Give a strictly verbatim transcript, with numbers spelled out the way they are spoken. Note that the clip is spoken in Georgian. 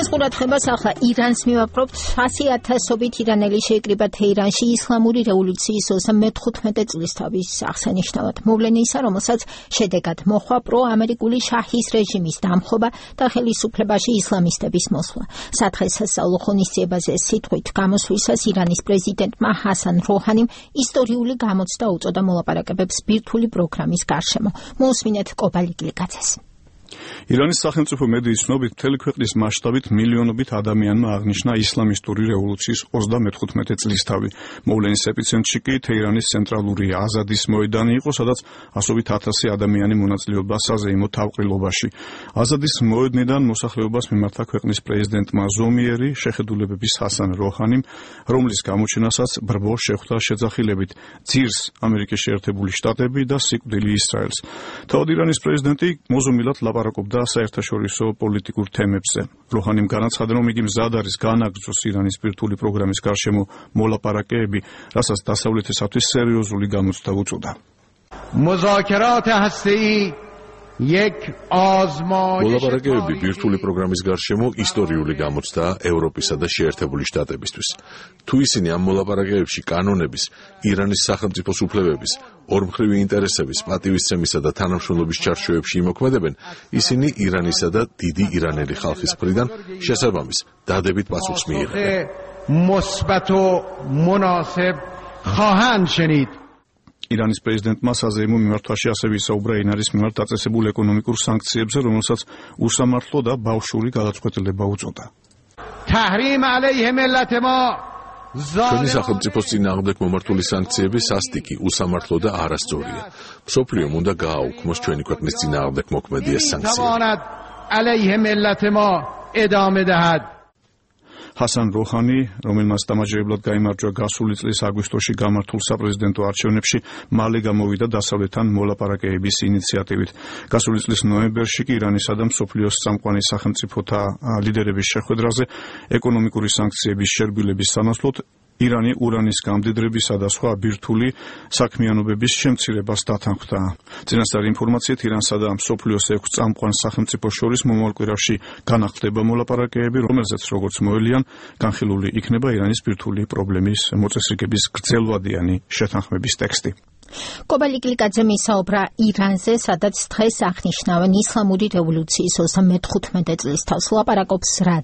მოგესალმებით ყურადღებას, ახლა ირანს მივაპყრობთ. ასი ათასობით ირანელი შეიკრიბა თეირანში ისლამური რევოლუციის ოცდამეთხუთმეტე წლისთავის აღსანიშნავად. მოვლენა ისა, რომელსაც შედეგად მოჰყვა პროამერიკული შაჰის რეჟიმის დამხობა და ხელისუფლებაში ისლამისტების მოსვლა. სადღესასწაულო ღონისძიებაზე სიტყვით გამოსვლისას ირანის პრეზიდენტმა ჰასან როჰანიმ ისტორიული გამოცდა უწოდა მოლაპარაკებებს ბირთვული პროგრამის გარშემო. მოусმინეთ კობალიკლიკაძეს. ირანის სახელმწიფო მედიის ცნობით, მთელი ქვეყნის მასშტაბით მილიონობით ადამიანმა აღნიშნა ისლამისტური რევოლუციის ოცდამეთხუთმეტე წლისთავი. მოვლენის ეპიცენტრში კი თეირანის ცენტრალური აზადის მოედანი იყო, სადაც ასობით ათასი ადამიანი მონაწილეობდა საზეიმო თავყრილობაში. აზადის მოედნიდან მოსახლეობას მიმართა ქვეყნის პრეზიდენტმა ზომიერი შეხედულებების ჰასან როჰანიმ, რომლის გამოჩენასაც ბრბო შეხვდა შეძახილებით ძირს ამერიკის შეერთებული შტატები და სიკვდილი ისრაელს. თავად ირანის პრეზიდენტი მოზომილად ლაპარაკობდა საერთაშორისო პოლიტიკურ თემებზე. როჰანიმ განაცხადა, რომ იგი მზად არის განაგრძოს ირანის ბირთვული პროგრამის გარშემო მოლაპარაკებები, რასაც დასავლეთისათვის სერიოზული გამოცდა უწოდა. მუზაკერატ ჰასტეი Yek azmayish მოლაპარაკებები ბირთვული პროგრამის გარშემო ისტორიული გამოცდაა ევროპისა და შეერთებული შტატებისთვის. თუ ისინი ამ მოლაპარაკებებში კანონების, ირანის სახელმწიფოს უფლებების, ორმხრივი ინტერესების, პატივისცემისა და თანამშრომლობის ჩარჩოებში იმოქმედებენ, ისინი ირანისა და დიდი ირანელი ხალხის მხრიდან შესაბამის დადებით პასუხს მიიღებენ. مثبت و مناسب خواهند شنید. ირანის პრეზიდენტმა საზეიმო მიმართვაში ასევე ისაუბრა ირანის მიმართ დაწესებულ ეკონომიკურ სანქციებზე, რომელსაც უსამართლო და ბავშვური გადაწყვეტილება უწოდა. تحریم علیه ملت ما ჩვენი სახელმწიფოს წინააღმდეგ მომართული სანქციები სასტიკი, უსამართლო და არასწორია. მსოფლიომ უნდა გააუქმოს ჩვენი ქვეყნის წინააღმდეგ მოქმედი ეს სანქციები. علیه ملت ما ادامه دهد. ჰასან როჰანი, რომელმაც დამაჯერებლად გაიმარჯვა გასული წლის აგვისტოში გამართულ საპრეზიდენტო არჩევნებში, მალე გამოვიდა დასავლეთთან მოლაპარაკებების ინიციატივით. გასული წლის ნოემბერში კი ირანისა და მსოფლიოს წამყვანი სახელმწიფოთა ლიდერების შეხვედრაზე ეკონომიკური სანქციების შერბილების სანაცვლოდ ირანი ურანის გამდიდრებისა და სხვა ბირთვული საქმიანობების შემცირებას დათანხმდა. წინასწარი ინფორმაციით, ირანსა და მსოფლიოს ექვს წამყვან სახელმწიფოს შორის მომავალ კვირაში განახლდება მოლაპარაკებები, რომელზეც როგორც მოელიან, განხილული იქნება ირანის ბირთვული პრობლემის მოწესრიგების გრძელვადიანი შეთანხმების ტექსტი. კობალიკლიკაძე მისაუბრა ირანზე, სადაც დღეს აღნიშნავენ ისლამური რევოლუციის ოცდამეთხუთმეტე წლისთავს. ლაპარაკობს რადიო